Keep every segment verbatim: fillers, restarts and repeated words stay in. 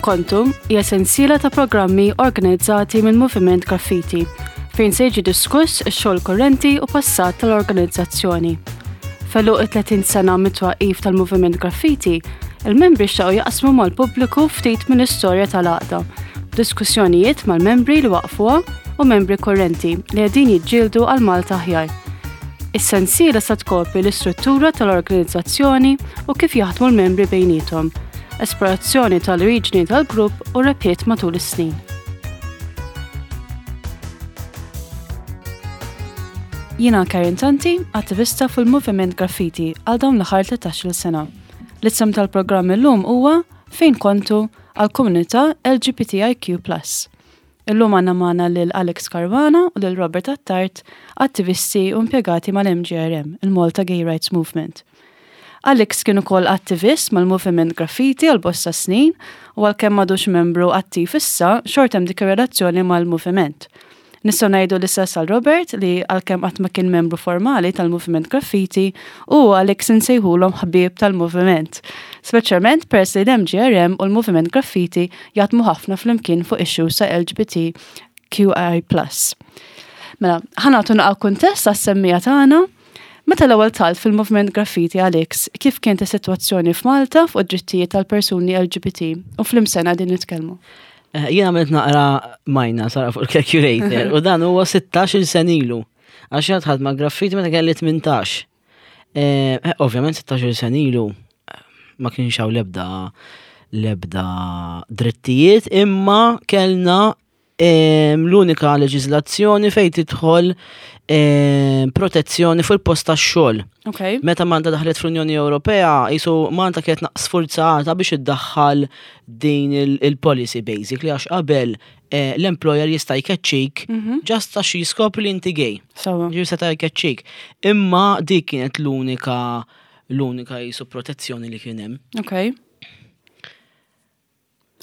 Kontu hija sensiela ta' programmi organizzati minn Moviment Graffiti fejn se jiġi diskuss ix-xogħol kurrenti u passat tal-organizzazzjoni. F'għeluq it-tletin sena mit-twaqqif tal-Moviment Graffiti, il-membri xtaqu jaqsmu mal-pubbliku ftit mill-istorja tal-għaqda, diskussjonijiet mal-membri li waqfuha u membri kurrenti li qegħdin jiġġieldu għal Malta aħjar. Is-sensiela sa tkopri l-istruttura tal-organizzazzjoni u kif jaħdmu l-membri bejniethom, esplorazzjoni tal-oriġini tal-grupp u rebħiet matul is-snin. Jiena Karen Tanti, attivista fil-Moviment Graffiti għal dawn l-aħħar tlettax-il sena. L-isem tal-programm illum huwa Fejn Kontu għal-komunità L G B T I Q plus. Illum għandna magħna lil Alex Caruana u lil Robert Attard, attivisti u impjegati mal-M G R M, il-Malta Gay Rights Movement. Alex kien ukoll attivist mal-Moviment Graffiti għal bosta snin u għalkemm m'għadux membru attiv issa, xorta hemm dik ir-relazzjoni mal-moviment. Nistgħu ngħidu l-istess għal Robert li għalkemm qatt ma kien membru formali tal-Moviment Graffiti u Alex insejħulhom ħbieb tal-moviment. Speċjalment peress li l-M G R M u l-Moviment Graffiti jaħdmu ħafna flimkien fuq issues ta' L G B T Q I plus. Mela, ħa nagħtu naqra kuntest għas-semmiegħa tagħna. Meta l-ewwel dħalt fil-Moviment Graffiti, Alex, kif kienet is-sitwazzjoni f'Malta fuq id-drittijiet tal-persuni L G B T u f'liema sena qegħdin nitkellmu? Eh, Jien għamilt naqra majna sara fuq il-calculator u dan huwa sittax-il sena ilu. Għax jien dħalt ma' Graffiti meta kelli tmintax. Eh, eh, Ovvjament sittax-il sena ilu eh, ma kienx hawn l-ebda l-ebda drittijiet, imma kellna em, l-unika leġiżlazzjoni fejn tidħol em, protezzjoni fuq il-post tax-xogħol. Ok. Meta Malta daħlet fl-Unjoni Ewropea, jisu Malta kienet sfurzata biex iddaħħal din il- il-policy basically, għax qabel eh, l-employer jista' jkeċċik just għax jiskopri li inti gay. Sawa. Ġi seta' jkeċċik. Imma dik kienet l-unika l-unika jisu protezzjoni li kien hemm. Ok.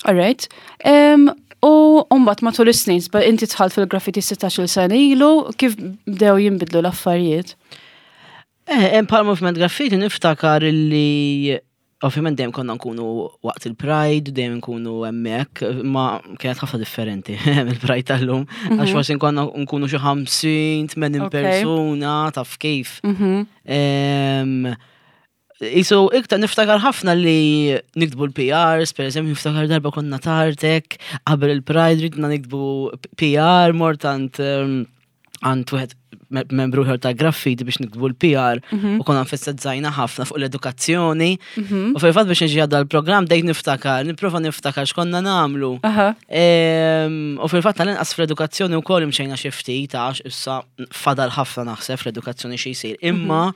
Alright. Um, u mbagħad matul is-snin, ba inti dħalt fil-graffiti sittax-il sena ilu, kif bdew jinbidlu l-affarijiet? Eh, hemm bħala Movement Graffiti niftakar li ovvjament dejjem konna nkunu waqt il-Pride, dejjem nkunu hemmhekk, ma kienet ħafna differenti mill-Pride tal-lum, għax forsi konna nkunu xi ħamsin, tmenin Ok. persuna, taf kif. Mhm. Em, Isu, iktar niftakar ħafna li niktbu l-P Rs, per eżempju, niftakar darba konna tartek, qabel il-Pride ridna niktbu P R, mort għand em, għand wieħed me- membru ieħor ta' Graffiti biex niktbu l-P R u konna nfessazzajna ħafna fuq l-edukazzjoni. U fil-fatt biex nġi għadda l-programm dejt niftakar, nipprova niftakar x'konna nagħmlu. Aha. Em, U fil-fatt tal-inqas fl-edukazzjoni wkoll imxejna xi ftit, għax issa fadal ħafna naħseb fl-edukazzjoni xi jsir. Imma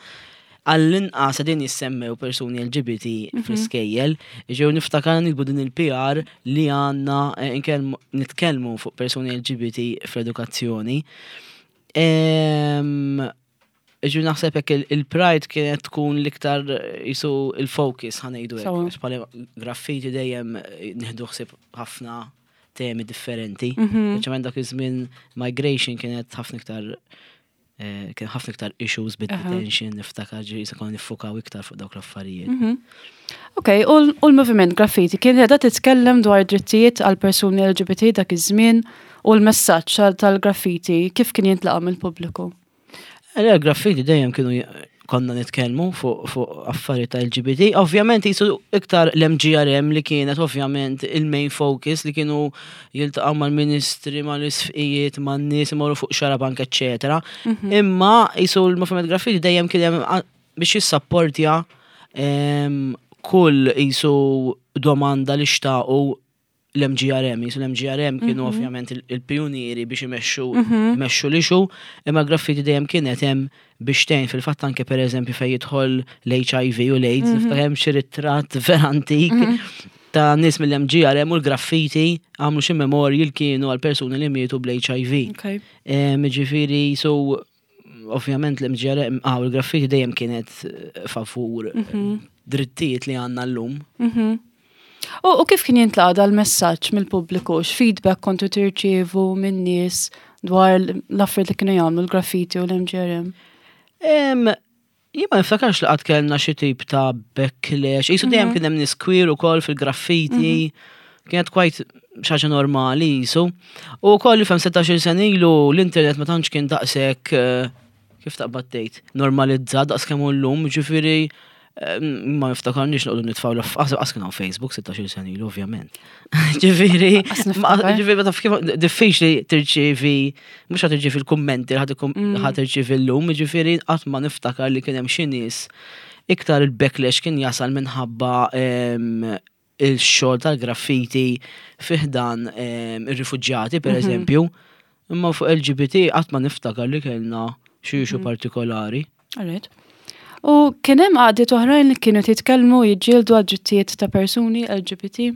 għall-inqas qegħdin jissemmew persuni L G B T fl-iskejjel, ġew niftakar nikbu din il-P R li għandna eh, inkellmu- nitkellmu fuq persuni L G B T fl-edukazzjoni. Em, Ġu naħseb hekk il- il-Pride kienet tkun l-iktar eh, jisu il-focus, ħa ngħidu hekk. Sawa. Għax bħala Graffiti dejjem eh, nieħdu ħsieb ħafna temi differenti. Mhm. Speċjalment dak iż-żmien migration kienet ħafna iktar eh, kien ħafna iktar issues bid-detention, niftakar ġi jisa konna niffukaw iktar fuq dawk l-affarijiet. Mhm. Ok, u l- u l-Moviment Graffiti kien qiegħda titkellem dwar drittijiet għal persuni L G B T dak iż-żmien u l-messaġġ tal- tal-graffiti kif kien jintlaqa' mill-pubbliku? Le, Graffiti dejjem kienu j- konna nitkellmu fuq fuq affarijiet ta' L G B T. Ovvjament jisu iktar l-M G R M li kienet ovvjament il-main focus, li kienu jiltaqgħu mal-ministri, mal-isqfijiet, man-nies imorru fuq Xarabank, eċċetera. Imma jisu l-Moviment Graffiti dejjem kien hemm a- biex jissapportja em, kull jisu domanda li xtaqu l-M G R M, jisu l-M G R M kienu ovvjament il- il-pionieri biex imexxu imexxu l-issue, imma Graffiti dejjem kienet hemm biex tgħin. Fil-fatt anke per eżempju fejn jidħol l-H I V u l-AIDS, niftakar hemm xi ritratt vera antik ta' nies mill-M G R M u l-Graffiti għamlu xi memorial kienu għal persuni li mietu bl-H I V. Ok. Em, Ġifieri, so ovvjament l-M G R M, ah, u l-Graffiti dejjem kienet eh, favur eh, drittijiet li għandna llum. Mhm. U, u kif kien jintlaqa dal-messaġġ mill-pubbliku? X'feedback kontu tirċievu minn nies dwar l-affarijiet li kienu jagħmlu l-graffiti u l-M G R M? Em, Jien ma niftakarx li qatt kellna xi tip ta' backlash. Jisu dejjem kien hemm nies queer ukoll fil-graffiti. Kienet quite xi ħaġa normali jisu. U koll fem sittax-il sena ilu l-internet ma tantx kien daqshekk eh, kif taqbad tgħid, normalizzat daqs kemm hu llum, ġifieri eh, ma niftakarniex noqogħdu nitfgħu l qas kien hawn Facebook sittax-il sena ilu, ovvjament. Ġifieri, Qas ma- niftakar. ġifieri ma taf kif diffiċli tirċievi, mhux ħa tirċievi l-kummenti li ħa tirċievi llum, ġifieri qatt ma niftakar li kien hemm xi nies, iktar il-backlash kien jasal minħabba em, il-xogħol tal-graffiti fi ħdan em, ir-rifuġġjati, per eżempju. Imma fuq L G B T qatt ma niftakar li kellna xi issue partikolari. Alright. U kien hemm għaqdiet oħrajn li kienu jitkellmu, jiġġieldu għal drittijiet ta' persuni L G B T?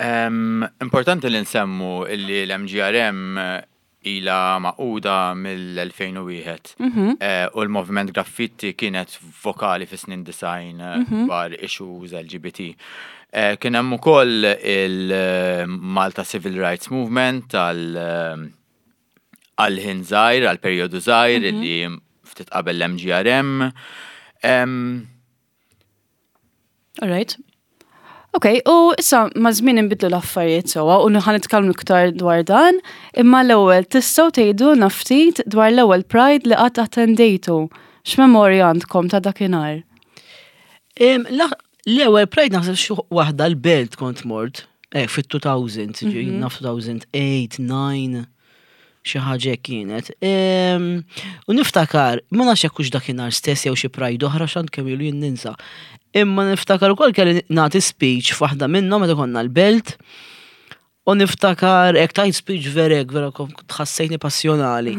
Em, importanti li nsemmu illi l-M G R M ila magħquda mill-elfejn u wieħed Eh, u l-Moviment Graffiti kienet vokali fi snin disgħin eh, dwar issues L G B T. Eh, Kien hemm ukoll il-Malta Civil Rights Movement tal għal ħin żgħir, għal perjodu żgħir li ftit qabel l-M G R M. Em, Alright. Ok, u issa ma' żmien inbidlu l-affarijiet sewwa u ħa nitkellmu iktar dwar dan, imma l-ewwel tistgħu tgħidulna ftit dwar l-ewwel Pride li qatt attendejtu. X'memorja għandkom ta' dakinhar? Em, la- L-ewwel Pride naħseb xi waħda l-Belt kont mort, eh, fit-elfejn, ġifieri naf elfejn u tmienja, disa', xi ħaġa hekk kienet. Em, U niftakar, ma nafx jekk hux dakinhar stess jew xi Pride oħra, x'għand kemm ilu jien ninsa. Imma niftakar ukoll kelli nagħti speech f'waħda minnhom meta konna l-Belt. U niftakar hekk tajt speech vera hekk, vera kont tħassejtni passjonali.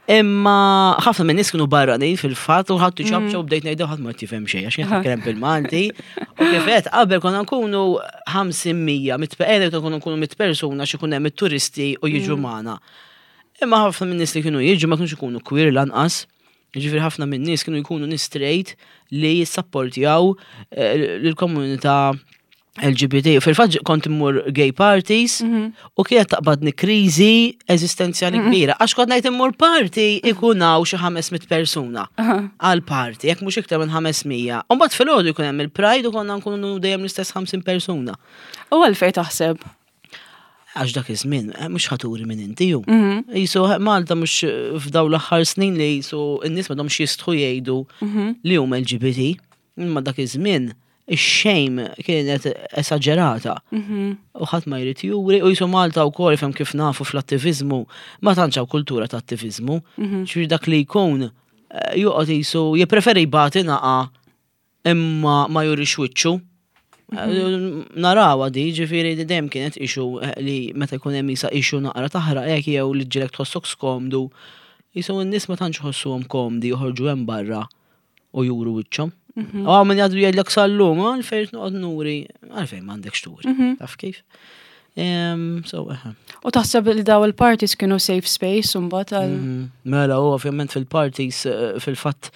Imma ħafna minn nies kienu barranin fil-fatt u ħadd iċapċap u bdejt ngħidu, ħadd ma tifhem xejn għax jien nitkellem bil-Malti. U kif qed qabel konna nkunu ħamsin mija, mit konna nkunu mit persuna xi ikun hemm it-turisti u jiġu magħna. Imma ħafna minn nies li kienu jiġu ma kienux ikunu queer lanqas. Ġifieri ħafna minn nies kienu jkunu nies straight li jissapportjaw eh, lill-komunità L G B T. Fil-fatt kont immur gay parties u kienet taqbadni kriżi eżistenzjali kbira. Għax kont ngħid immur party ikun hawn xi ħames mitt persuna għal party, jekk mhux iktar minn ħames mija. U mbagħad filgħodu jkun hemm il-Pride u konna nkunu dejjem l-istess ħamsin persuna. U għalfejn taħseb? Għax dak iż-żmien eh, mhux ħa turi minn inti ju. Jisu Malta mhux eh, f'daw l-aħħar snin li jisu n-nies m'għadhomx jistħu jgħidu li huma L G B T. Imma dak iż-żmien ix-shame kienet esaġerata. U ħadd ma jrid juri u jisu Malta wkoll fem kif nafu fl-attivizmu ma tantx hawn kultura ta' attivizmu. Ġifieri dak li jkun eh, joqgħod jisu jippreferi jbati naqa imma ma jurix wiċċu. Narawa di, ġifieri di dejjem kienet issue eh, li meta jkun hemm isa issue naqra taħraq hekk jew li ġilek tħossok skomdu. Jisu n-nies ma tantx ħossuhom komdi joħorġu hemm barra u juru wiċċhom. U hawn min jgħidu jgħidlek sal-lum, "Għalfejn noqgħod nuri?" Għalfejn m'għandekx turi. Taf kif? Em, So, eħe. U taħseb li daw il-parties kienu safe space u mbagħad għal Mhm. Mela, u ovvjament fil-parties, eh, fil-fatt,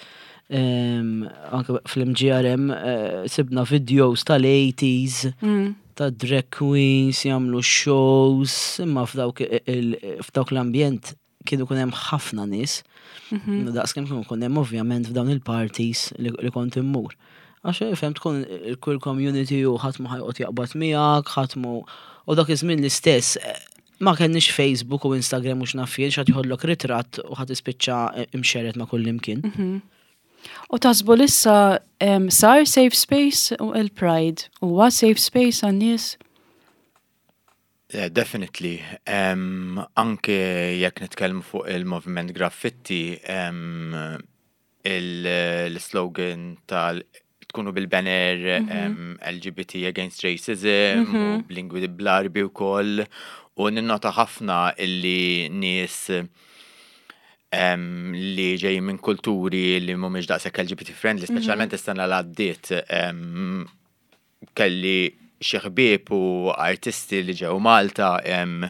em, anke fl-M G R M, eh, sibna videos tal-eighties, Mm. ta' drag queens jagħmlu shows, imma f'dawk il- f'dawk l-ambjent kienu kun hemm ħafna nies. Daqs kemm kienu kun hemm ovvjament f'dawn il-parties li, li kont immur. Għax fem tkun il-queer community u ħadd ma ħa joqgħod jaqbad miegħek, ħadd mu u dak iż-żmien l-istess eh, ma kenniex Facebook u Instagram u x'naf jien, x'ħadd joħodlok ritratt u ħadd ispiċċa imxerred ma' kull imkien. U taħsbu lissa em, sar safe space u il-Pride? Huwa safe space għan-nies? Yeah, definitely. Um, anke jekk nitkellmu fuq il-moviment graffiti, um, il-slogan tal tkunu bil-banner um, L G B T against racism u b'lingwi bl-Għarbi u koll u ninnota ħafna illi nies um, li ġej minn kulturi li mhumiex daqshekk L G B T friendly, speċjalment is-sena l għaddiet um, kelli xi ħbieb u artisti li ġew Malta em,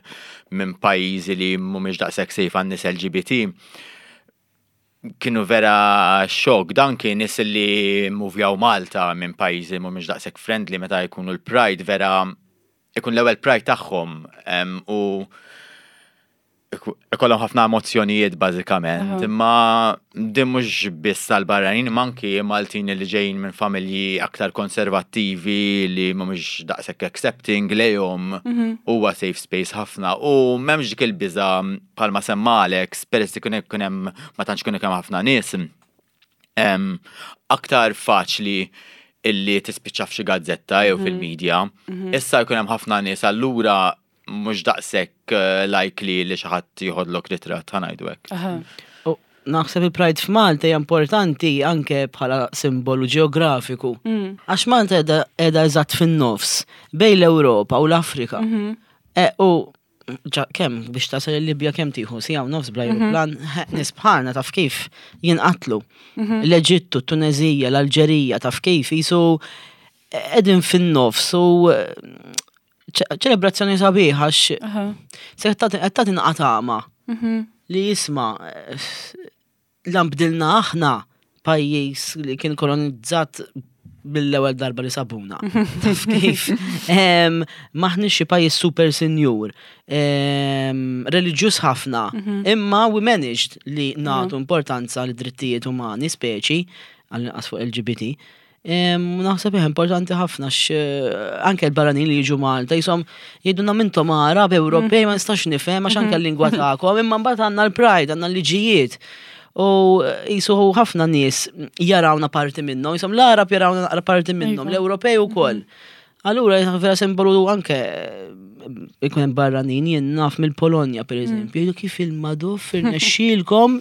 minn pajjiżi li mhumiex daqshekk safe għan-nies L G B T, kienu vera xok. Dan kien nies li muvjaw Malta minn pajjiżi mhumiex daqshekk friendly, meta jkunu l-Pride vera ikun l-ewwel Pride tagħhom em, u Ikollhom ħafna emozzjonijiet bażikament, imma din mhux biss tal-barranin, imma anki Maltin li ġejjin minn familji aktar konservattivi li mhumiex daqshekk accepting lejhom, huwa safe space ħafna u m'hemmx dik il-biża bħalma semma Alex, peress li kun hemm ma tantx kun hemm ħafna nies. Em, aktar faċli illi tispiċċa f'xi gazzetta jew fil-medja. Issa jkun hemm ħafna nies, allura mhux daqshekk eh, likely li xi ħadd jieħodlok ritratt, ħa ngħidu hekk. Aha. U naħseb il-Pride f'Malta hija importanti anke bħala simbolu ġeografiku. Għax Malta qiegħda qiegħda eżatt fin-nofs bejn l-Ewropa u l-Afrika. E, u ġa, kemm biex tasal il-Libja kemm tieħu siegħa u nofs bl-ajruplan, nies bħalna taf kif jinqatlu. L-Eġittu, Tunezija, l-Alġerija, taf kif jisu qegħdin fin-nofs u eh, ċe- ċelebrazzjoni sabiħa għax Aha. se qed tagħti naqatama li jisma' eh, l-bdilna aħna pajjiż li kien kolonizzat mill-ewwel darba li sabuna. Taf kif? Em, M'aħniex xi pajjiż super sinjur, em, reliġjuż ħafna, imma we managed li nagħtu importanza li drittijiet umani, speċi, għall-inqas fuq L G B T. Em, u Naħseb hija importanti ħafna x anke l-barranin li jiġu Malta jisom jgħidulna mintom Arab, Ewropej, ma nistax nifhem għax anke l-lingwa tagħkom, imma mbagħad għandna l-Pride, għandna l-liġijiet. U jisu ħafna nies jarawna parti minnhom, jisom l-Arab jarawna naqra parti minnhom, Iva. l-Ewropej ukoll. Allura vera simbolu anke ikun hemm barranin, jien naf mill-Polonja, per eżempju, jgħidu kif il-madoff irnexxielkom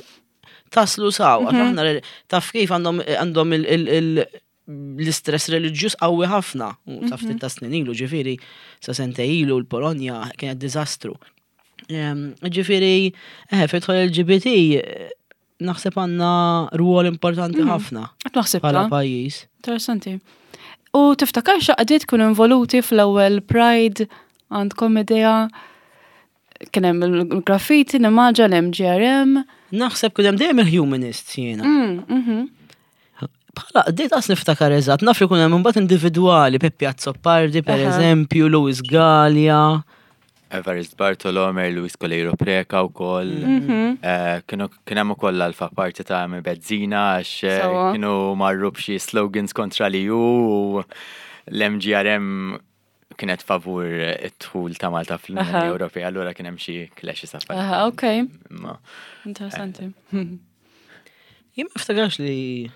taslu saw, għax aħna re- taf kif għandhom għandhom il- il- il- l-istress reliġjuż qawwi ħafna. U taf ftit ta' snin ilu, ġifieri, sa sentejn ilu l-Polonja kienet diżastru. Em, Ġifieri, eh, fidħol L G B T, eh, naħseb għandna rwol importanti ħafna Qed naħseb bħala pajjiż. Interessanti. U tiftakar x'għaqdiet kienu involuti fl-ewwel Pride? Għandkom idea? Kien hemm il-graffiti, nimmaġina l-M G R M. Naħseb kien hemm dejjem il-humanists jiena. Mm, mhm. Bħala, għaqdiet qas niftakar eżatt, naf li kun hemm imbagħad individwali, Peppi Azzopardi per Aha. eżempju, Louis Galea. Everest Bartolo, Mary Louise Coleiro Preca u koll. Eh, Kienu kien hemm ukoll Alpha Party ta' Amy Bezzina għax eh, Sewwa. kienu marru b'xi slogans kontra li u l-M G R M kienet favur id-dħul ta' Malta fl-Unjoni Aha. Ewropea, allura kien hemm xi clashes affarijiet. Aha, ok. Imma Interessanti. Jien ma niftakarx li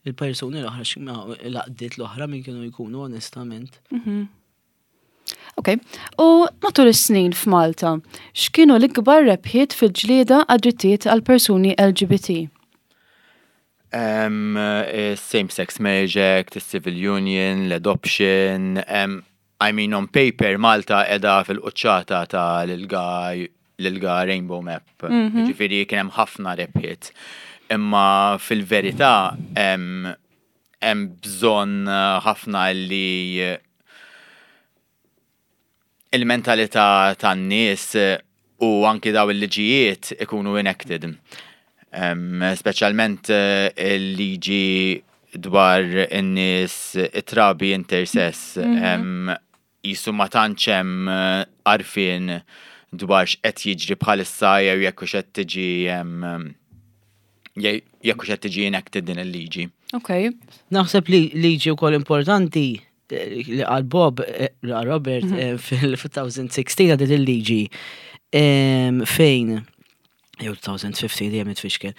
il-persuni l-oħra, x'ma- l-għaqdiet l-oħra min kienu jkunu, onestament. Ok. U matul is-snin f'Malta, x'kienu l-ikbar rebħiet fil-ġlieda għad-drittijiet għal persuni L G B T? Um, Same-sex marriage act, civil union, l-adoption, um, I mean, on paper Malta qiegħda fil-quċċata ta' l-I L G A l-I L G A Rainbow Map. Ġifieri kien hemm ħafna rebħiet. Imma fil-verità hemm hemm bżonn eh, ħafna li il-mentalità tan-nies u anki daw il-liġijiet ikunu enacted. Um, Speċjalment eh, il-liġi dwar in-nies it-trabi intersex, um, jisu ma tantx hemm eh, għarfien dwar x'qed jiġri bħalissa jew jekk hux qed tiġi em, je- jekk hux qed tiġi enacted din il-liġi. Ok. Naħseb li liġi wkoll importanti eh, li għal Bob, eh, li għal Robert, eh, fil-elfejn u sittax għaddiet il-liġi em, fejn jew elfejn u ħmistax, dejjem nitfixkel,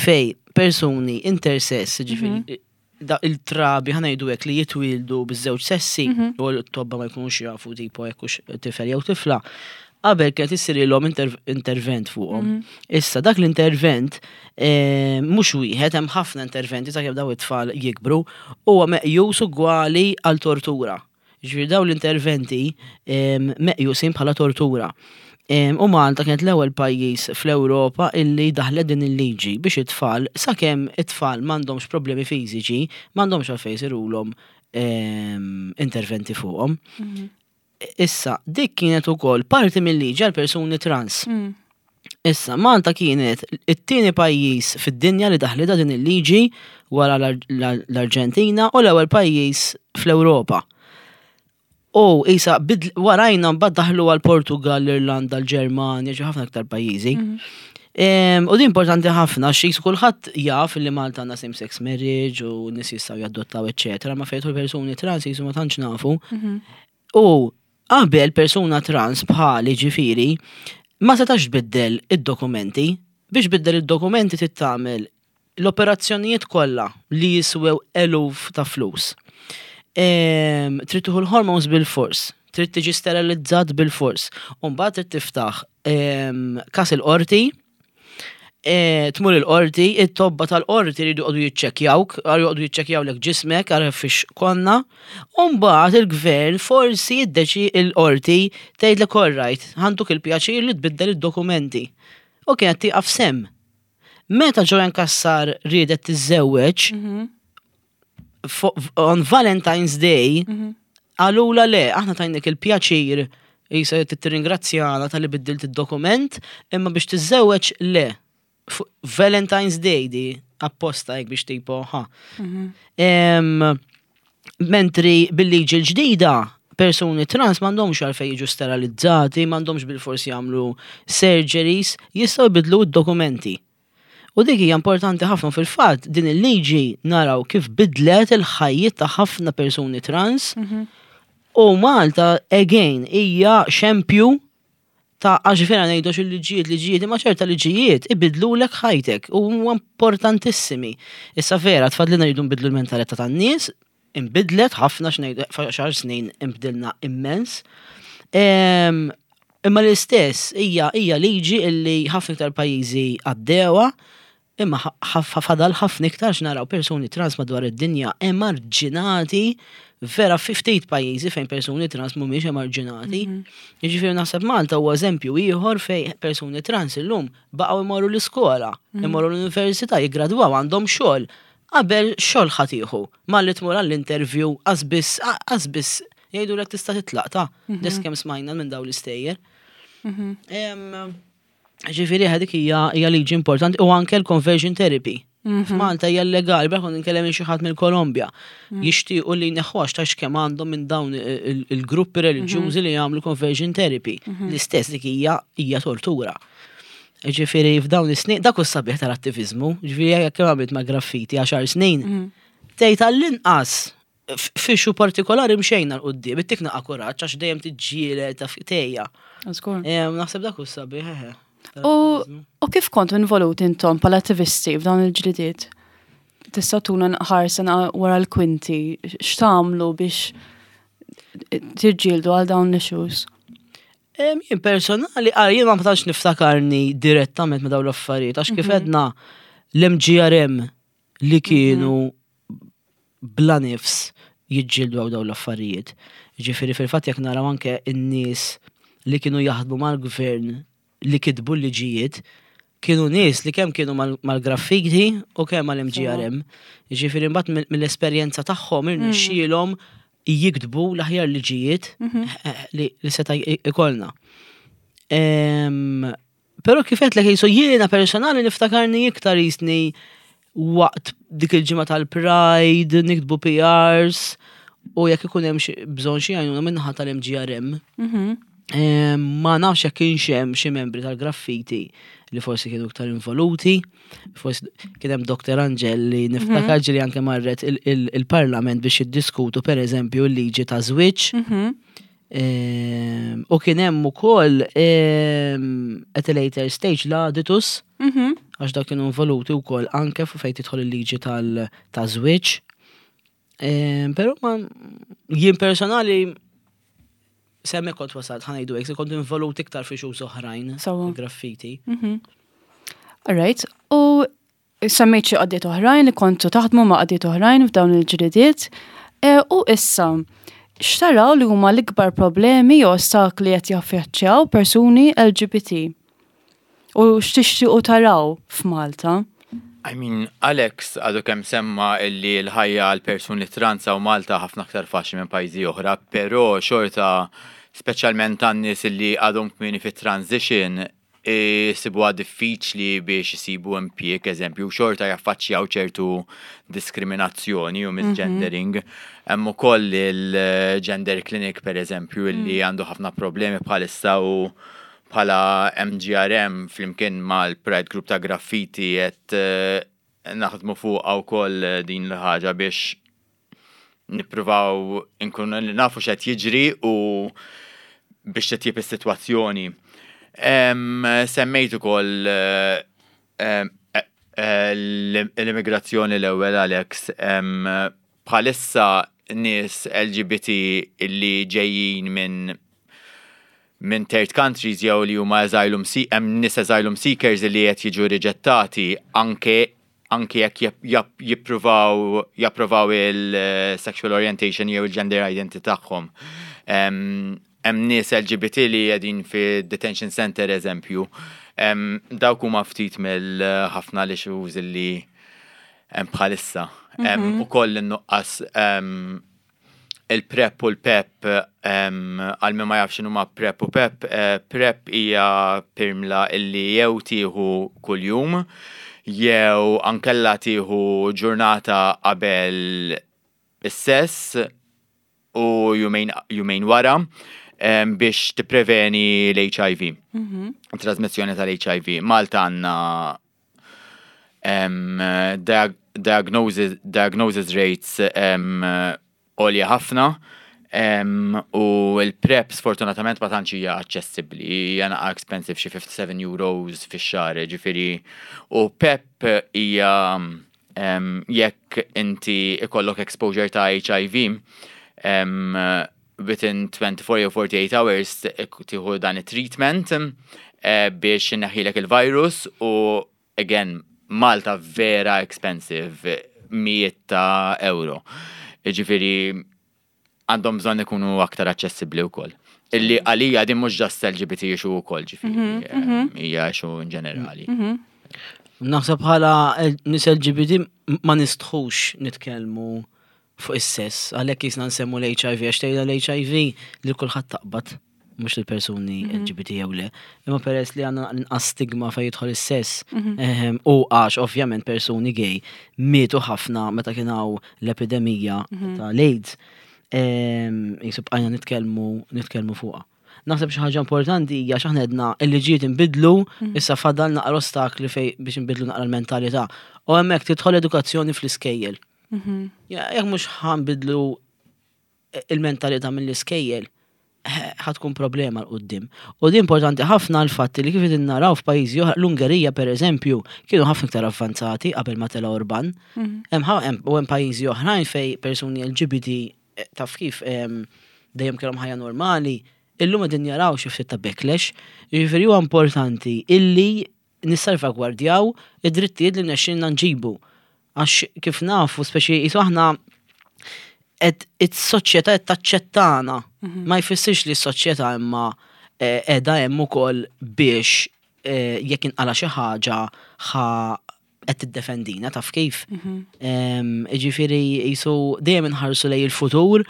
fej persuni intersex, ġifieri da il-trabi, ħa ngħidu hekk, li jitwildu biż-żewġ sessi u l-tobba ma jkunux jafu tipo jekk hux tifel jew tifla. Qabel kienet issirilhom inter intervent fuqhom. Issa dak l-intervent eh, mhux wieħed, hemm ħafna interventi sakemm daw it-tfal jikbru, huwa meqjus ugwali għal tortura. Ġifieri daw l-interventi em, meqjusin bħala tortura. Em, U Malta kienet l-ewwel pajjiż fl-Ewropa illi daħlet din il-liġi biex it-tfal, sakemm it-tfal m'għandhomx problemi fiżiċi, m'għandhomx għalfejn isirulhom em, interventi fuqhom. Issa, dik kienet ukoll parti mill-liġi għal persuni trans. Mm. Issa, Malta kienet it-tieni pajjiż fid-dinja li daħlitha din il-liġi wara l-Ar- l-Arġentina u l-ewwel pajjiż fl-Ewropa. U issa, bid- warajna mbagħad daħlu għal Portugal, l-Irlanda, l-Ġermanja, ġi ħafna aktar pajjiżi. Em, U di importanti ħafna, xi kulħadd jaf li Malta għandna same-sex marriage u nies jistgħu jadottaw, eċetera, ma fejn persuni trans jisu ma tantx nafu. U qabel persuna trans bħali ġifieri ma setax tbiddel id-dokumenti. Biex biddel id-dokumenti trid tagħmel l-operazzjonijiet kollha li jiswew eluf ta' flus. Em, Trid tieħu l-hormones bil-fors, trid tiġi sterilizzat bil-fors. U mbagħad trid tiftaħ em, kas il-qorti, e, tmur il-qorti, it-tobba tal-qorti rridu joqogħdu jiċċekkjawk, għar joqogħdu jiċċekkjawlek ġismek, għar fiex konna, u mbagħad il-gvern forsi jiddeċi il-qorti tgħidlek alright, ħa ntuk il-pjaċir li tbiddel id-dokumenti. U kienet tieqaf hemm. Meta Joanne Cassar riedet tiżżewweġ, fo- on Valentine's Day, qalulha le, aħna tajnik il-pjaċir jisa tirringrazzjana talli biddilt id-dokument, imma biex tiżżewweġ le. Fu- Valentine's Day di apposta jek biex tipo, ha. Em, Mentri bil-liġi l-ġdida, persuni trans m'għandhomx għalfejn jiġu sterilizzati, m'għandhomx bil-forsi jagħmlu surgeries, jistgħu jbidlu d-dokumenti. U dik hija importanti ħafna fil-fatt din il-liġi naraw kif bidlet il-ħajjiet ta' ħafna persuni trans u Malta again hija xempju ta' għax vera ngħidu il-liġijiet liġijiet imma ċerta liġijiet ibidlulek ħajtek u huwa importantissimi. Issa vera tfadlina rridu nbidlu l-mentalità tan-nies, imbidlet ħafna x'ngħidu xar snin imbdilna immens. Em, Imma l-istess hija hija liġi illi ħafna iktar pajjiżi għaddewha, imma ħaf- fadal ħafna iktar x'naraw persuni trans madwar id-dinja emarġinati vera fi ftit pajjiżi fejn persuni trans mhumiex emarġinati. Jiġifieri naħseb Malta huwa eżempju ieħor fejn persuni trans illum baqgħu imorru l-iskola, imorru l-università, jiggradwaw għandhom xogħol. Qabel xogħol ħa tieħu, malli tmur għall-interview qasbis qasbis jgħidulek tista' titlaq ta' kemm smajna minn dawn l-istejjer. Em, Ġifieri dik hija hija liġi importanti u anke l-conversion therapy. F'Malta hija legali, bħal nkellem xi ħadd mill-Kolombja. Jixtiequ li jneħħuha ta' kemm għandhom minn dawn il- il-gruppi reliġjużi li jagħmlu conversion therapy. L-istess dik hija hija tortura. Ġifieri f'dawn is-snin, dak hu sabiħ tal-attivizmu, ġifieri jekk kemm għamilt ma' graffiti għaxar snin, tgħid għall-inqas f'issue partikolari mxejna 'l quddiem, ittik naqa kuraġġ għax dejjem tiġġieled ta' tejja. Żgur. Em, Naħseb dak hu sabiħ, eħe. U u kif kontu involuti intom bħala attivisti f'dawn il-ġlidiet? Tista' tuna ħarsa wara l-kwinti, x'tagħmlu biex tiġġieldu għal dawn l-issues? Em, Jien personali, għal jien ma tantx niftakarni direttament ma dawn l-affarijiet, għax kif għedna l-M G R M li kienu bla nifs jiġġieldu għal dawn l-affarijiet. Ġifieri fil-fatt jekk naraw anke n-nies li kienu jaħdmu mal-gvern li kitbu l-liġijiet, kienu nies li kemm kienu mal- mal-graffiti u kemm mal-M G R M. Ġifieri mbagħad mill- mill-esperjenza tagħhom irnexxielhom jiktbu l-aħjar liġijiet li, li seta' ikollna. Em, Però kif għedtlek jisu jiena personali niftakarni iktar jisni waqt dik il-ġimgħa tal-Pride, niktbu P Rs, u jekk ikun hemm xi- bżonn xi għajnuna min-naħa tal-M G R M. Em, Ma nafx jekk kienx hemm xi membri tal-graffiti li forsi kienu iktar involuti, forsi kien hemm Doktor Angel li niftakar ġieli anke marret il- il- il-Parlament biex jiddiskutu per eżempju l-liġi ta' żwieġ. Em, U kien hemm ukoll em, at a later stage l-Aditus, għax dak kienu involuti wkoll anke fu fejn tidħol il-liġi tal ta' żwieġ. Em, Però ma jien personali semmi kont wasalt ħa ngħidu hekk, kont involut iktar fi issues oħrajn, Sewwa. graffiti. Alright, u semmejt xi għaqdiet oħrajn li kontu taħdmu ma' għaqdiet oħrajn f'dawn il-ġlidiet. E, U issa, x'taraw li huma l-ikbar problemi jew ostakli qed jaffaċċjaw persuni L G B T? U x'tixtiequ taraw f'Malta? I mean, Alex għadu kemm semma illi l-ħajja għal persuni trans u Malta ħafna aktar faċli minn pajjiżi oħra, però xorta speċjalment għan-nies illi għadhom kmieni fit transition Isibuha diffiċli biex isibu impjieg, eżempju, xorta jaffaċċjaw ċertu diskriminazzjoni u misgendering. Hemm ukoll il-gender clinic, per eżempju, li għandu ħafna problemi bħalissa u bħala M G R M flimkien mal-Pride Group ta' Graffiti qed eh, naħdmu fuqha wkoll din l-ħaġa biex nippruvaw inkunu nafu x'qed jiġri u biex titjib is-sitwazzjoni. Em, Semmejt ukoll eh, em, eh, eh, l-immigrazzjoni l-ewwel, Alex. em, Bħalissa nies L G B T illi ġejjin minn minn third countries jew li huma asylum se hemm nies asylum seekers li qed jiġu riġettati anke anke jekk jip- jip- jippruvaw japprovaw il-sexual orientation jew il-gender identity tagħhom. Em, Hemm nies L G B T li qegħdin fi detention center, eżempju. Em, Dawk huma ftit mill-ħafna l-issues li hemm bħalissa. Hemm ukoll in-nuqqas em, il-PrEP u l-PEP. em, għal min ma jafx x'inhuma PrEP u PEP, eh, PrEP hija pirmla illi jew tieħu kuljum jew ankella tieħu ġurnata qabel is-sess u jumejn, jumejn wara em, biex tippreveni l-H I V. Trasmissjoni tal-H I V. Malta għandna em, diag diagnosis, diagnosis rates em, għolja ħafna em, u il-PrEP sfortunatament ma tantx hija aċċessibbli, hija naqa expensive, xi fifty-seven euros fix-xahar, ġifieri, u PEP hija em, jekk inti ikollok exposure ta' H I V em, within twenty-four jew forty-eight hours tieħu dan it-treatment eh, biex neħilek il-virus u again Malta vera expensive, mijiet ta' euro. Ġifieri għandhom bżonn ikunu aktar aċċessibbli wkoll. Illi għalija din mhux just L G B T issue wkoll, ġifieri eh, hija issue in ġenerali. Naħseb bħala nies L G B T ma nistħux nitkellmu fuq is-sess, għalhekk jisna nsemmu l-H I V, għax tgħidha l-H I V li kulħadd taqbad, mhux l-persuni L G B T jew le. Imma peress li għandna inqas stigma fejn jidħol is-sess, ehem, u għax ovvjament persuni gay mietu ħafna meta kien hawn l-epidemija tal-AIDS, ehm, jisub bqajna nitkellmu nitkellmu fuqha. Naħseb xi ħaġa importanti hija x'aħna għedna il-liġijiet inbidlu, issa fadal naqra ostakli fej biex inbidlu naqra l-mentalità. U hemmhekk tidħol edukazzjoni fl-iskejjel. Ja, jekk mhux ħa nbidlu il-mentalità mill-iskejjel, eh, ħa tkun problema 'l quddiem. U di importanti ħafna l-fatt li kif qegħdin naraw f'pajjiżi oħra, l-Ungerija per eżempju, kienu ħafna iktar avvanzati qabel ma tela Orban. Hemm ħa- hemm- U hemm pajjiżi oħrajn fej persuni L G B T eh, taf kif em, dejjem kellhom ħajja normali, illum qegħdin jaraw xi ftit ta' backlash. Jiġifieri huwa importanti illi nissalvagwardjaw id-drittijiet li nexxinna nġibu. Għax kif nafu, speċi jisu aħna qed is-soċjetà qed taċċettana. Ma jfissirx li s-soċjetà imma eh, qiegħda hemm ukoll biex eh, jekk inqala xi ħaġa ħa qed tiddefendina, taf kif. Em, Ġifieri jisu dejjem inħarsu lejn il-futur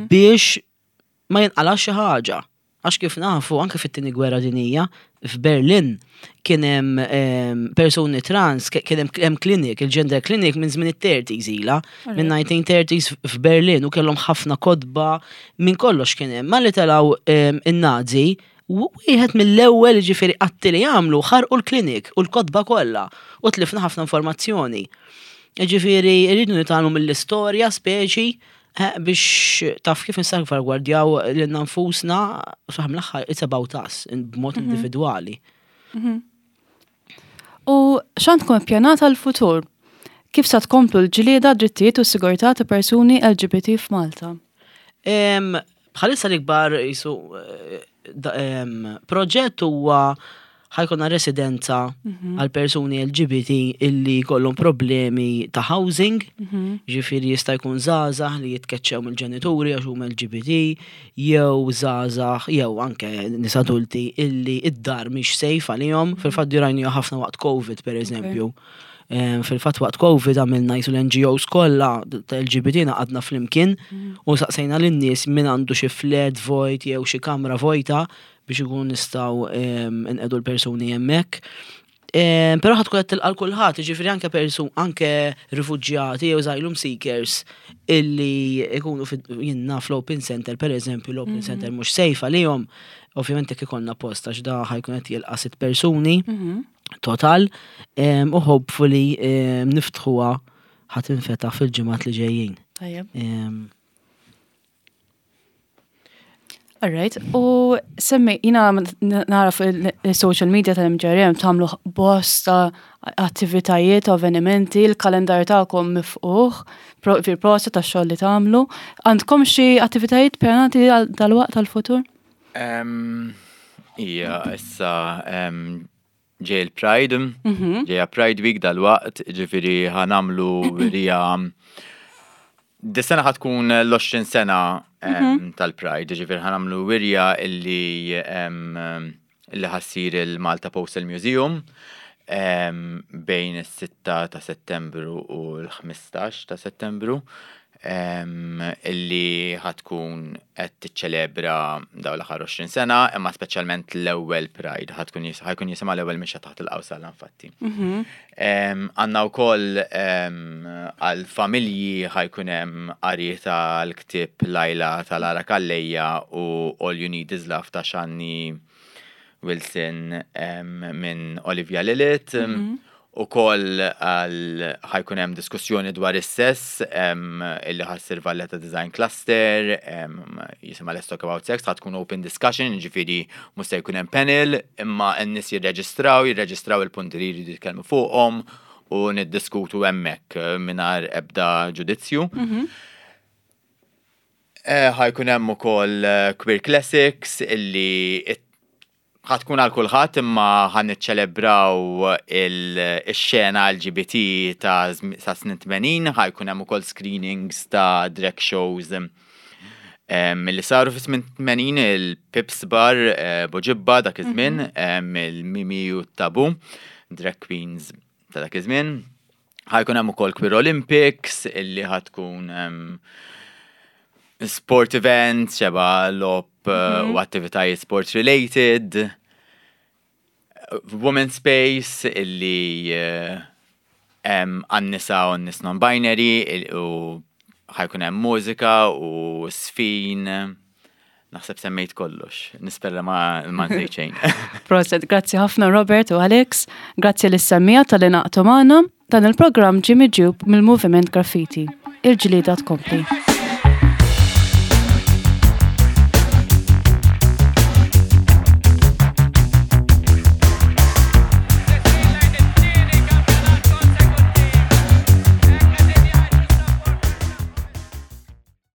biex ma jinqalax xi ħaġa. Għax kif nafu, anke fit-tieni gwerra dinija, f'Berlin kien hemm em, persuni trans, ke- kien hemm hemm clinic, il-gender clinic minn żmien it-thirties ila, minn nineteen thirties f'Berlin u kellhom ħafna kotba minn kollox kien hemm. Malli telgħu em, in-Nazi, wieħed mill-ewwel ġifieri atti li jagħmlu ħarqu l-klinik u l-kotba kollha u tlifna ħafna informazzjoni. Ġifieri rridu nitgħallmu mill-istorja speċi eh, biex taf kif nissalvagwardjaw lilna nfusna saħam l-aħħar it's about us b'mod individwali. U x'għandkom ippjanat għal-futur? Kif sa tkomplu l-ġlieda drittijiet u s-sigurtà ta' persuni L G B T f'Malta? Em, Bħalissa l-ikbar jisu eh, da- em, proġett huwa ħa jkollna residenza għal persuni L G B T illi kollhom problemi ta' housing, ġifieri jista' jkun żgħażagħ li jitkeċċew mill-ġenituri għax huma L G B T, jew żgħażagħ jew anke nies adulti illi id-dar mhix safe għalihom, fil-fatt rajni ħafna waqt Covid per eżempju. Em, Fil-fatt waqt Covid għamilna qisu l-N G Os kollha ta' L G B T għadna flimkien u saqsejna lin-nies min għandu xi flat vojt jew xi kamra vojta biex ikun nistgħu em, nqegħdu l-persuni hemmhekk. Em, Però ħa tkun qed tilqa' kulħadd, jiġifieri anke persu anke rifuġjati jew asylum seekers illi ikunu fid- jien naf l-Open Center, per eżempju, l-Open Center mhux safe għalihom, ovvjament jekk ikollna post għax da ħa jkun qed jilqa' sitt persuni total em, u hopefully em, niftħuha, ħa tinfetaħ fil-ġimgħat li ġejjin. Tajjeb. Em, Alright, u semmi, jiena nara fuq il-social media tal-M G R M tagħmlu bosta attivitajiet, avvenimenti, il-kalendar tagħkom miftuħ, fil-prosa ta' xogħol li tagħmlu. Għandkom xi attivitajiet pjanati għal dal-waqt tal-futur? Em, Ija, issa em, ġej il-Pride, ġeja Pride Week dal-waqt, ġifieri ħa nagħmlu wirja. Dis-sena ħa tkun l-għoxrin sena em, tal-Pride, ġifieri ħa nagħmlu wirja illi em, illi ħa ssir il-Malta Postal Museum em, bejn is-sitta ta' Settembru u l-ħmistax ta' Settembru em, illi ħa tkun qed tiċċelebra dawn l-aħħar għoxrin sena, imma speċjalment l-ewwel Pride, ħa tkun jis- ħa jkun jisimha L-ewwel mixja taħt il-qawsalla infatti. Em, Għandna wkoll em, għal-familji ħa jkun hemm qari tal-ktieb Lajla ta' Lara Calleja u All You Need Is Love ta' Shani Wilson em, minn Olivia Lilith. Ukoll għal ħa jkun hemm diskussjoni dwar is-sess em, illi ħa ssir Valletta Design Cluster, em, jisimha Let's Talk About Sex, ħa tkun open discussion, ġifieri mhux se jkun hemm panel, imma n-nies jirreġistraw, jirreġistraw il-punti li jridu jitkellmu fuqhom u niddiskutu hemmhekk eh, mingħajr ebda ġudizzju. Eh, ħa jkun hemm ukoll eh, Queer Classics illi it- ħa tkun għal kulħadd, imma ħa niċċelebraw il-xena L G B T ta' zm- ta' snin tmenin, ħa jkun hemm ukoll screenings ta' drag shows em, li saru fi snin tmenin, il-Pips Bar, eh, Buġibba dak iż-żmien, em, il-Mimi u Tabu, drag queens ta' dak iż-żmien. Ħa jkun hemm ukoll Queer Olympics illi ħa tkun em, sport events, xeba logħob uh, u attivitajiet sport related. Women Space illi uh, hemm għan-nisa u n-nies non-binary il- u ħa jkun hemm mużika u sfin. Naħseb semmejt kollox. Nispera ma ma nsejt xejn. Proset, grazzi ħafna, Robert u Alex, grazzi lis-semmiegħa talli ngħaqadtu magħna. Dan il-programm ġie miġjub mill-Moviment Graffiti. Il-ġlieda tkompli.